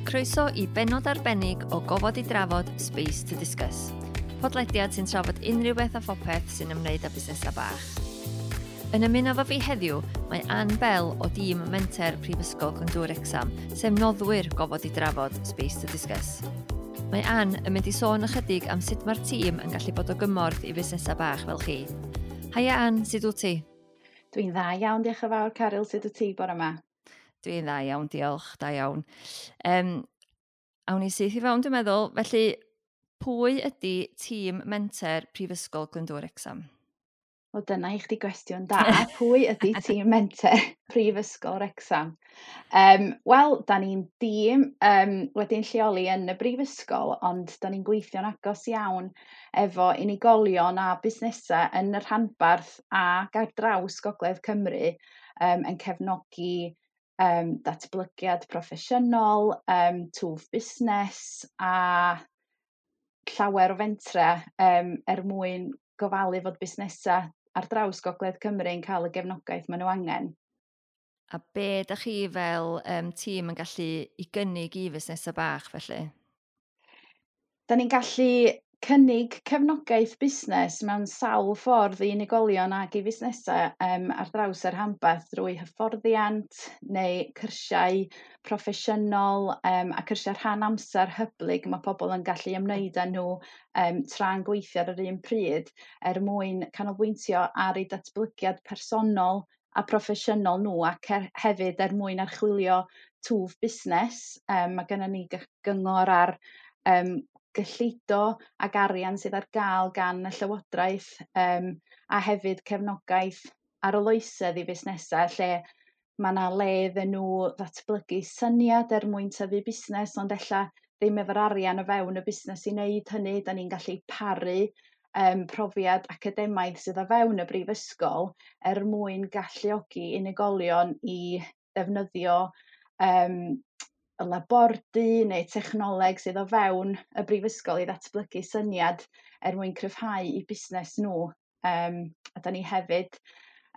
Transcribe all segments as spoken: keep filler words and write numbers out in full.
Croeso i benod arbennig o Gofod i Drafod Space to Discuss. Podlediad sy'n trafod unrhyw beth a phopeth sy'n ymwneud â busnesau bach. Yn ymuno efo fi heddiw, mae Ann Bell o dîm Menter Prifysgol Glyndŵr Wrecsam, sef noddwyr Gofod i Drafod Space to Discuss. Mae Ann yn mynd i sôn ychydig am sut mae'r tîm yn gallu bod o gymorth i fusnesau bach fel chi. Haia Ann, sut wyt ti? Dwi'n dda iawn, diolch yn fawr, Caryl, sut wyt ti bore yma? Dwi'n dda iawn, diolch, da iawn. Um, awn ni syth i fewn, dwi'n meddwl. Felly, pwy ydy tîm Menter Prifysgol Glyndŵr Wrecsam? O, dyna i chdi gwestiwn da. Pwy ydy tîm Menter Prifysgol Wrecsam? Um, Wel, da ni'n dîm um, wedi'n lleoli yn y brifysgol, ond da ni'n gweithio'n agos iawn efo unigolion a busnesau yn y rhanbarth ac ar draws Gogledd Cymru um, yn cefnogi um, datblygiad proffesiynol, um, twf busnes a llawer o fentre um, er mwyn gofalu fod busnesau ar draws Gogledd Cymru yn cael y gefnogaeth maen nhw angen. A be da chi fel um, tîm yn gallu i gynnig i fusnesau bach felly? Da ni'n gallu cynnig cefnogaeth busnes mewn sawl ffordd i unigolion ac i fusnesau um, ar draws yr rhanbarth drwy hyfforddiant neu cyrsiau proffesiynol um, a cyrsiau rhan amser hyblyg mae pobl yn gallu ymwneud â nhw um, tra'n gweithio ar yr un pryd er mwyn canolbwyntio ar eu datblygiad personol a proffesiynol nhw ac er, hefyd er mwyn archwilio twf busnes. Um, mae gennym ni gyngor ar um, gyllido ac arian sydd ar gael gan y Llywodraeth um, a hefyd cefnogaeth arloesedd i fusnesau lle mae yna le iddyn nhw ddatblygu syniad er mwyn tyfu busnes, ond ella ddim efo'r arian o fewn y busnes i wneud hynny. Da ni'n gallu paru um, profiad academaidd sydd o fewn y brifysgol er mwyn galluogi unigolion i ddefnyddio um, y labordy neu technoleg sydd o fewn y brifysgol i ddatblygu syniad er mwyn cryfhau eu busnes nhw. Um, a da ni hefyd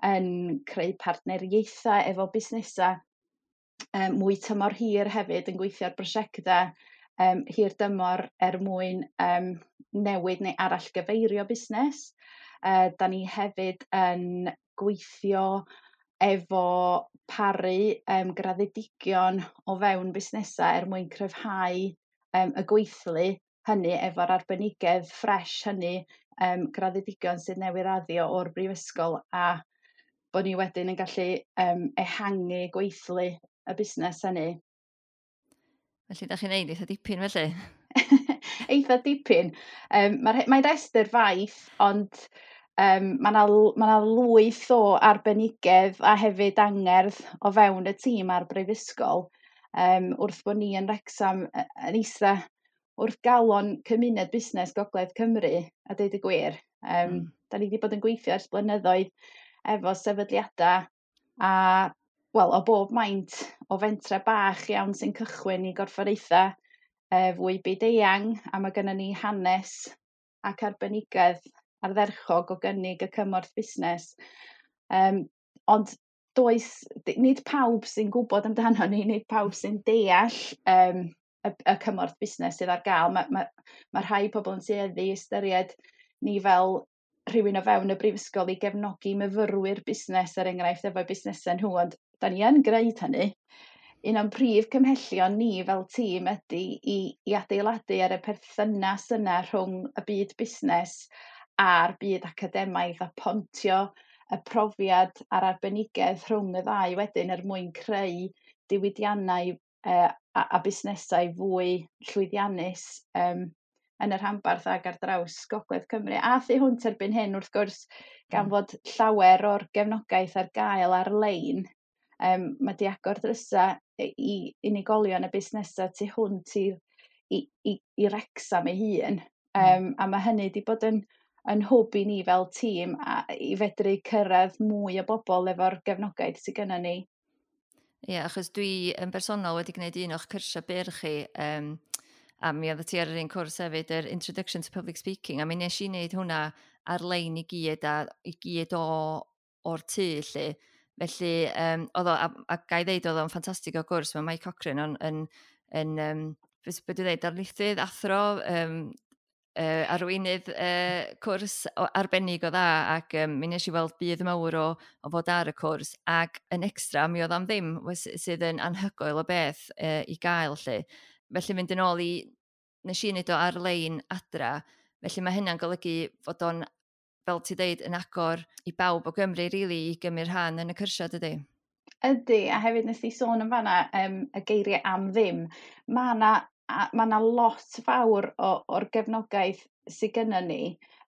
yn creu partneriaethau efo busnesau um, mwy tymor hir hefyd yn gweithio ar brosiectau um, hir dymor er mwyn um, newid neu arallgyfeirio busnes. Uh, da ni hefyd yn gweithio efo paru um, graddedigion o fewn busnesau er mwyn cryfhau um, y gweithlu hynny efo'r arbenigedd ffres hynny um, graddedigion sydd newydd raddio o'r brifysgol a bod ni wedyn yn gallu um, ehangu gweithlu y busnes hynny. Felly, da chi'n neud eitha dipyn felly? Eitha dipyn. Um, Mae'n mae rhestr faith, ond um, mae yna ma lwyth o arbenigedd a hefyd angerdd o fewn y tîm a'r brifysgol. Um, wrth bod ni yn Wrecsam yn eista wrth galon cymuned busnes Gogledd Cymru, a deud y gwir. Um, mm. Da ni wedi bod yn gweithio ers blynyddoedd efo sefydliadau a, wel, o bob maint o fentre bach iawn sy'n cychwyn i gorfforaethau e, fwy byd-eang, a mae gennym ni hanes ac arbenigedd ardderchog o gynnig y cymorth busnes. Um, ond does, nid pawb sy'n gwybod amdano ni, nid pawb sy'n deall um, y, y cymorth busnes sydd ar gael. Mae, mae, mae rhai pobl yn tueddu i ystyried ni fel rhywun o fewn y brifysgol i gefnogi myfyrwyr busnes, er enghraifft, efo'u busnesau nhw, ond da ni yn gwneud hynny. Un o'n prif cymhellion ni fel tîm ydy i, i adeiladu ar y perthynas yna rhwng y byd busnes a'r byd academaidd a pontio y profiad a'r arbenigedd rhwng y ddau wedyn er mwyn creu diwydiannau uh, a, a busnesau fwy llwyddiannus um, yn y rhanbarth ac ar draws Gogledd Cymru. A thu hwnt erbyn hyn, wrth gwrs, gan mm. fod llawer o'r gefnogaeth ar gael ar-lein, um, mae di agor drysau i unigolion a busnesau tu hwnt i, i, i, i Wrecsam ei hun. Um, a mae hynny wedi bod yn, yn hwb i ni fel tîm a i fedru cyrraedd mwy o bobl efo'r gefnogaeth sydd gennym ni. Ie, yeah, achos dwi yn bersonol wedi gwneud un o'ch cyrsiau byr chi, um, a mi oedd ti ar yr un cwrs hefyd, yr Introduction to Public Speaking, a mi nes i wneud hwnna ar-lein i gyd, a i gyd o, o'r tŷ, lle. Felly, um, oedd o, a, a ga i ddeud, oedd o'n ffantastig o gwrs, mae Mike Cochran yn, yn, yn um, beth dwi'n dweud, darlithydd, athro, um, uh, arweinydd uh, cwrs arbennig o dda, ac um, mi nes i weld budd mawr o, o fod ar y cwrs, ac yn extra mi oedd am ddim, sydd yn anhygoel o beth uh, i gael lle. Felly mynd yn ôl i, nes i wneud o ar-lein adra, felly mae hynna'n golygu fod o'n, fel ti dweud, yn agor i bawb o Gymru, really, i gymryd rhan yn y cyrsiau, dydy? Ydy, a hefyd nes i sôn yn fanna um, y geiriau am ddim. Mae yna ma 'na lot fawr o, o'r gefnogaeth sydd gynnon ni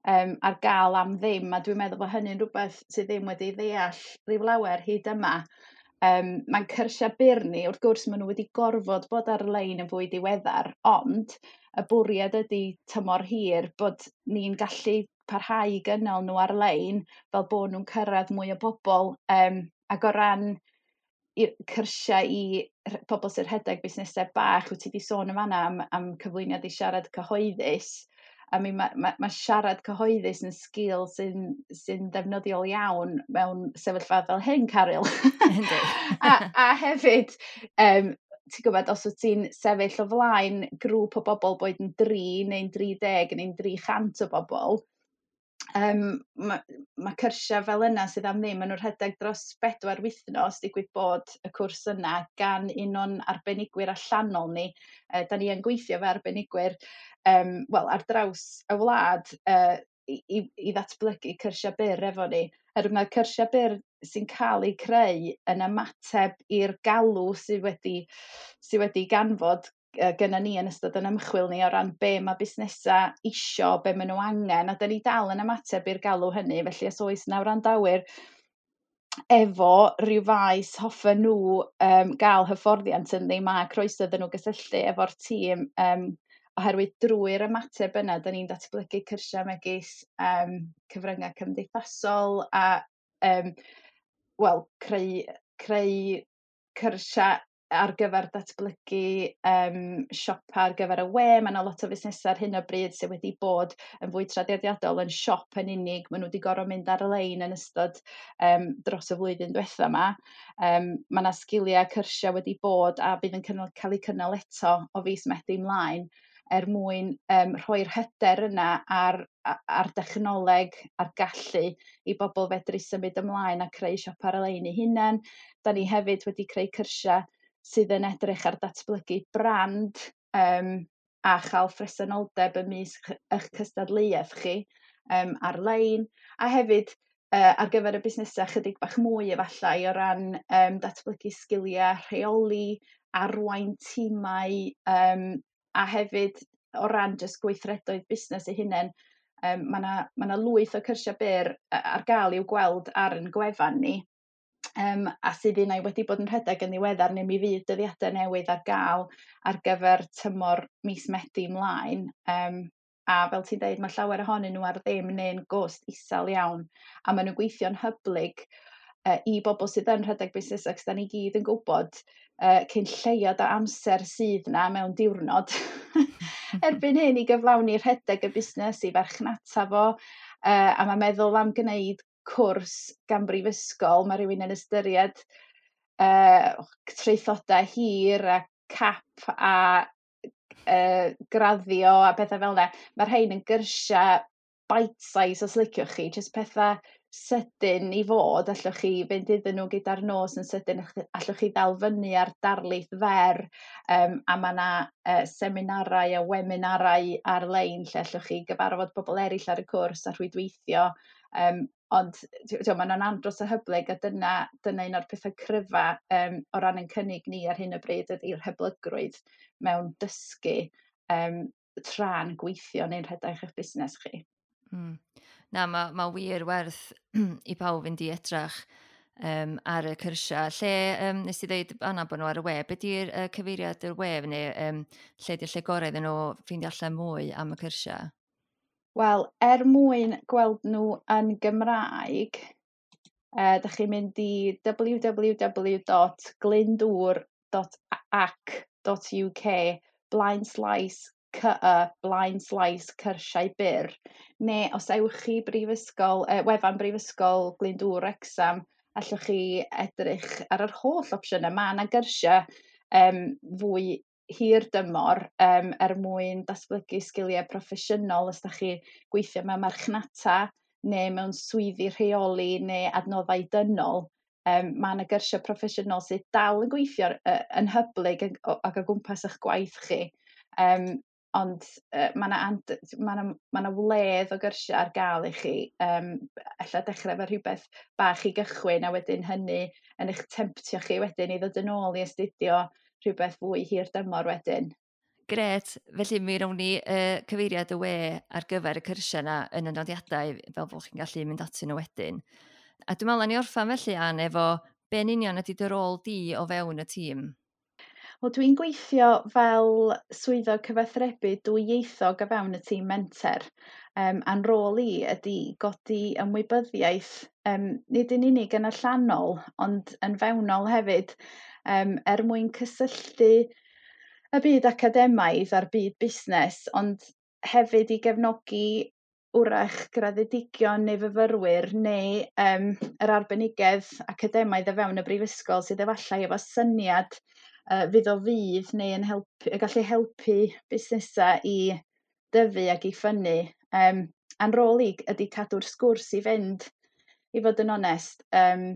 um, ar gael am ddim, a dwi'n meddwl bod hynny'n rhywbeth sydd ddim wedi ddeall rhyw lawer hyd yma. Um, mae'n cyrsiau byr ni, wrth gwrs maen nhw wedi gorfod bod ar-lein yn fwy diweddar, ond y bwriad ydy tymor hir bod ni'n gallu parhau i gynnal nhw ar-lein fel bod nhw'n cyrraedd mwy o bobl. Um, ac o ran i'r cyrsiau i pobl sy'n rhedeg busnesau bach, wyt ti wedi sôn yn fanna am, am cyflwyniad i siarad cyhoeddus. I mean, mae ma, ma siarad cyhoeddus yn sgil sy'n sy ddefnyddiol iawn mewn sefyllfa fel hyn, Caryl. a, a hefyd, um, ti'n gwybod, os wyt ti'n sefyll o flaen grŵp o bobl boed yn dri neu'n dri deg neu'n dri chant o bobl, um, mae ma cyrsiau fel yna sydd am ddim, maen nhw'n rhedeg dros bedwar wythnos, digwydd bod y cwrs yna gan un o'n arbenigwyr allanol ni. Uh, da ni yn gweithio fe arbenigwyr um, wel, ar draws y wlad uh, i, i, i ddatblygu cyrsiau byr efo ni. Oherwydd mae'r cyrsiau byr sy'n cael eu creu yn ymateb i'r galw sydd wedi, sydd wedi ganfod gynna ni yn ystod yn ymchwil ni o ran be mae busnesau isio, be maen nhw angen, a da ni dal yn ymateb i'r galw hynny, felly os oes 'na wrandawyr efo rhyw faes hoffen nhw um, gael hyfforddiant ynddi, mae croeso iddyn nhw gysylltu efo'r tîm, um, oherwydd drwy'r ymateb yna, da ni'n datblygu cyrsiau megis um, cyfryngau cymdeithasol a um, wel, creu, creu cyrsiau ar gyfer datblygu um, siopa ar gyfer y we. Mae yna lot o fusnesau ar hyn o bryd sydd wedi bod yn fwy traddodiadol yn siop yn unig. Maen nhw wedi gorfod mynd ar-lein yn ystod um, dros y flwyddyn diwetha yma. Um, mae yna sgiliau cyrsiau wedi bod a bydd yn cynnal, cael eu cynnal eto o fis Medi ymlaen er mwyn um, rhoi'r hyder yna ar, ar dechnoleg, ar gallu i bobl fedru symud ymlaen a creu siop ar-lein eu hunain. Da ni hefyd wedi creu cyrsiau sydd yn edrych ar datblygu brand um, a chael phresenoldeb ymysg eich cystadleuaeth chi um, ar-lein, a hefyd uh, ar gyfer y busnesau chydig bach mwy efallai o ran um, datblygu sgiliau rheoli, arwain tîmau, um, a hefyd o ran jyst gweithredoedd busnes eu hunain. Um, mae 'na ma' 'na lwyth o cyrsiau byr ar gael i'w gweld ar ein gwefan ni. Um, a sydd un ai wedi bod yn rhedeg yn ddiweddar, neu mi fydd dyddiadau newydd ar gael ar gyfer tymor mis Medi ymlaen. Um, a fel ti'n deud, mae llawer ohonyn nhw ar ddim neu'n gost isel iawn, a maen nhw'n gweithio'n hyblyg uh, i bobl sydd yn rhedeg busnes, ac da ni gyd yn gwybod uh, cyn lleiad o amser sydd na mewn diwrnod erbyn hyn i gyflawni rhedeg y busnes, i farchnata fo, uh, a mae meddwl am gwneud cwrs gan brifysgol, mae rhywun yn ystyried uh, traethodau hir a cap a uh, graddio a pethau fel yna. Mae'r rhain yn gyrsiau bite size os liciwch chi, jyst pethau sydyn i fod, allwch chi fynd iddyn nhw gyda'r nos yn sydyn, allwch chi ddal fyny ar darlith fer, um, a mae yna uh, seminarau a webinarau ar-lein lle allwch chi gyfarfod bobl eraill ar y cwrs a rhwydweithio. Um, ond maen nhw'n andros o hyblyg, a dyna, dyna un o'r pethau cryfa um, o ran ein cynnig ni ar hyn o bryd ydy'r hyblygrwydd mewn dysgu um, tra'n gweithio neu'n rhedeg eich busnes chi. Mm. Na, mae ma wir werth i pawb fynd i edrach um, ar y cyrsiau. Lle um, nes i ddeud Anna bod nhw ar y we, be di'r uh, cyfeiriad yr we neu um, lle di'r lle gorau iddyn nhw ffeindio allan mwy am y cyrsiau? Wel, er mwyn gweld nhw yn Gymraeg, uh, dach chi'n mynd i w w w dot glyndŵr dot ac dot u k blaen slaes c y blaen slaes cyrsiau byr, neu os ewch chi brifysgol, uh, wefan Brifysgol Glyndŵr Wrecsam, allwch chi edrych ar yr holl opsiynau. Mae yna gyrsiau um, fwy hir dymor um, er mwyn datblygu sgiliau proffesiynol os da chi gweithio mewn marchnata neu mewn swyddi rheoli neu adnoddau dynol. Um, mae yna gyrsiau proffesiynol sydd dal yn gweithio uh, yn hyblyg ac o gwmpas eich gwaith chi. Um, ond uh, mae yna ma 'na, ma 'na wledd o gyrsiau ar gael i chi. Um, ella dechrau efo rhywbeth bach i gychwyn a wedyn hynny yn eich temptio chi wedyn i ddod yn ôl i astudio rhywbeth fwy hir dymor wedyn. Gret, felly mi rown ni uh, cyfeiriad y we ar gyfer y cyrsiau yna yn y nodiadau fel bod chi'n gallu mynd atyn nhw wedyn. A dwi'n meddwl ni orffan felly, Ann, efo be'n union ydy dy rôl di o fewn y tîm? Wel, dwi'n gweithio fel swyddog cyfathrebu dwyieithog o fewn y tîm menter. Um, a'n rôl i ydy godi ymwybyddiaeth, um, nid yn unig yn allanol, ond yn fewnol hefyd, um, er mwyn cysylltu y byd academaidd a'r byd busnes, ond hefyd i gefnogi wrach graddedigion neu fyfyrwyr neu um, yr arbenigedd academaidd o fewn y brifysgol sydd efallai efo syniad uh, fydd o fudd neu yn helpu, y gallu helpu busnesau i dyfu ac i ffynnu. Um, a'n rôl i ydy cadw'r sgwrs i fynd, i fod yn onest. Um,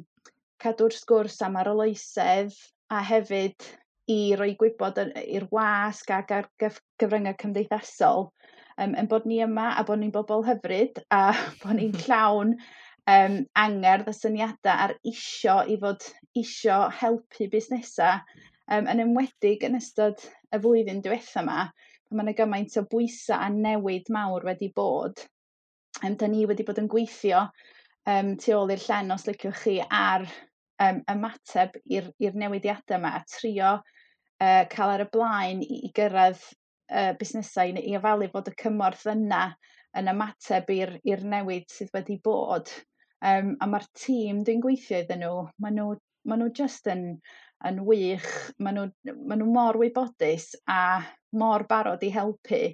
cadw'r sgwrs am arloesedd a hefyd i roi gwybod i'r wasg ac ar gyfryngau cymdeithasol um, yn bod ni yma a bod ni'n bobl hyfryd a bod ni'n llawn um, angerdd a syniadau a'r isio i fod isio helpu busnesau, um, yn enwedig yn ystod y flwyddyn diwetha yma, pan mae yna gymaint o bwysau a newid mawr wedi bod. Um, da ni wedi bod yn gweithio um, tu ôl i'r llen, os liciwch chi, ar um, ymateb i'r i'r newidiadau yma a trio uh, cael ar y blaen i, i gyrraedd uh, busnesau i, i ofalu fod y cymorth yna yn ymateb i'r i'r newid sydd wedi bod. Um, a mae'r tîm dwi'n gweithio iddyn nhw, maen nhw, maen nhw just yn, yn wych, maen nhw, maen nhw mor wybodus a mor barod i helpu.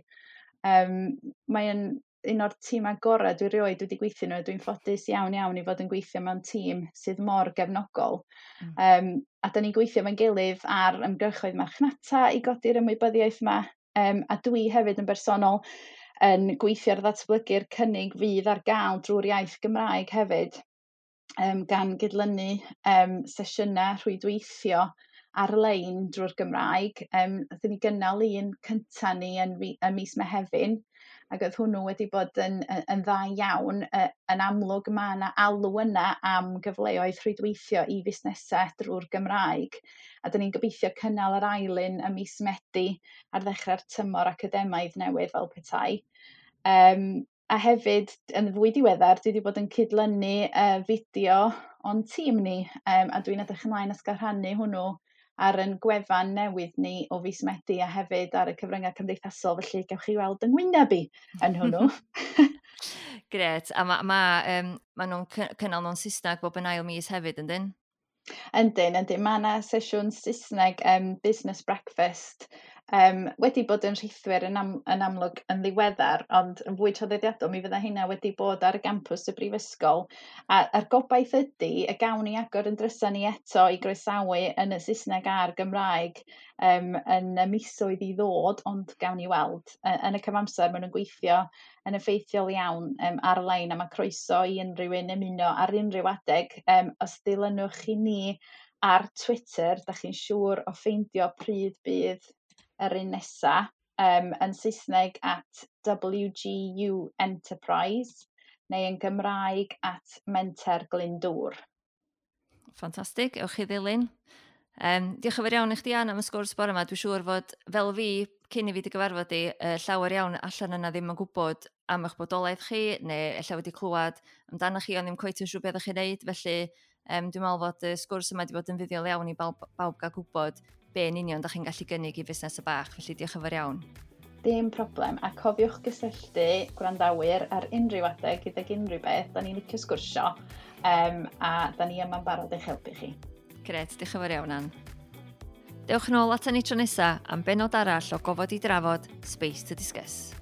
Um, mae'n un o'r tîmau gorau dwi erioed wedi gweithio nhw. Dwi'n ffodus iawn iawn i fod yn gweithio mewn tîm sydd mor gefnogol. Mm. Um, a da ni'n gweithio efo'n gilydd ar ymgyrchoedd marchnata i godi'r ymwybyddiaeth yma. Um, a dwi hefyd yn bersonol yn gweithio ar ddatblygu'r cynnig fydd ar gael drwy'r iaith Gymraeg hefyd, um, gan gydlynu um, sesiynau rhwydweithio ar-lein drwy'r Gymraeg. Um, Nathon ni gynnal un cynta ni yn, yn mis Mehefin, ac oedd hwnnw wedi bod yn, yn, yn dda iawn. Yn amlwg mae yna alw yna am gyfleoedd rhwydweithio i fusnesau drwy'r Gymraeg. A dyn ni'n gobeithio cynnal yr ail un ym mis Medi ar ddechrau'r tymor academaidd newydd fel petai. Um, a hefyd, yn fwy diweddar, dwi wedi bod yn cydlynu uh, fideo o'n tîm ni, um, a dwi'n edrych ymlaen at gael rhannu hwnnw ar yn gwefan newydd ni o fis Medi a hefyd ar y cyfryngau cymdeithasol, felly gewch chi weld yng ngwyneb i yn hwnnw. Gret, a ma, ma, um, ma nhw'n cynnal nhw'n Saesneg bob yn ail mis hefyd, yndyn? Yndyn, yndyn. Mae yna sesiwn Saesneg um, Business Breakfast um, wedi bod yn rhithwir yn, am, yn amlwg yn ddiweddar, ond yn fwy traddodiadol mi fydda hynna wedi bod ar y gampws y brifysgol. A, a'r gobaith ydy y gawn ni agor yn drysa ni eto i groesawu yn y Saesneg a'r Gymraeg um, yn y misoedd i ddod, ond gawn ni weld. Yn y cyfamser, maen nhw'n gweithio yn effeithiol iawn um, ar-lein, a mae croeso i unrhyw un ymuno ar unrhyw adeg. Um, os dilynwch chi ni ar Twitter, da chi'n siŵr o ffeindio pryd bydd yr un nesa, um, yn Saesneg at W G U Enterprise neu yn Gymraeg at Menter Glyndŵr. Ffantastig, ewch chi ddilyn. Um, diolch yn fawr iawn i chdi, Ann, am y sgwrs bore yma. Dwi'n siŵr fod, fel fi, cyn i fi dy gyfarfod i, uh, llawer iawn allan yna ddim yn gwybod am eich bodolaeth chi, neu ella wedi clywed amdano chi, ond ddim cweit yn siŵr beth ydych chi'n neud. Felly, um, dwi'n meddwl fod y sgwrs yma wedi bod yn fuddiol iawn i bawb, bawb gael gwybod be yn union da chi'n gallu gynnig i fusnes y bach. Felly, diolch yn fawr iawn. Dim problem, a cofiwch gysylltu gwrandawyr ar unrhyw adeg gydag unrhyw beth. Da ni'n licio sgwrsio, um, a da ni yma'n barod eich helpu chi. Gret, diolch yn fawr iawn, Ann. Dewch nôl atan ni tro nesa am bennod arall o Gofod i Drafod Space to Discuss.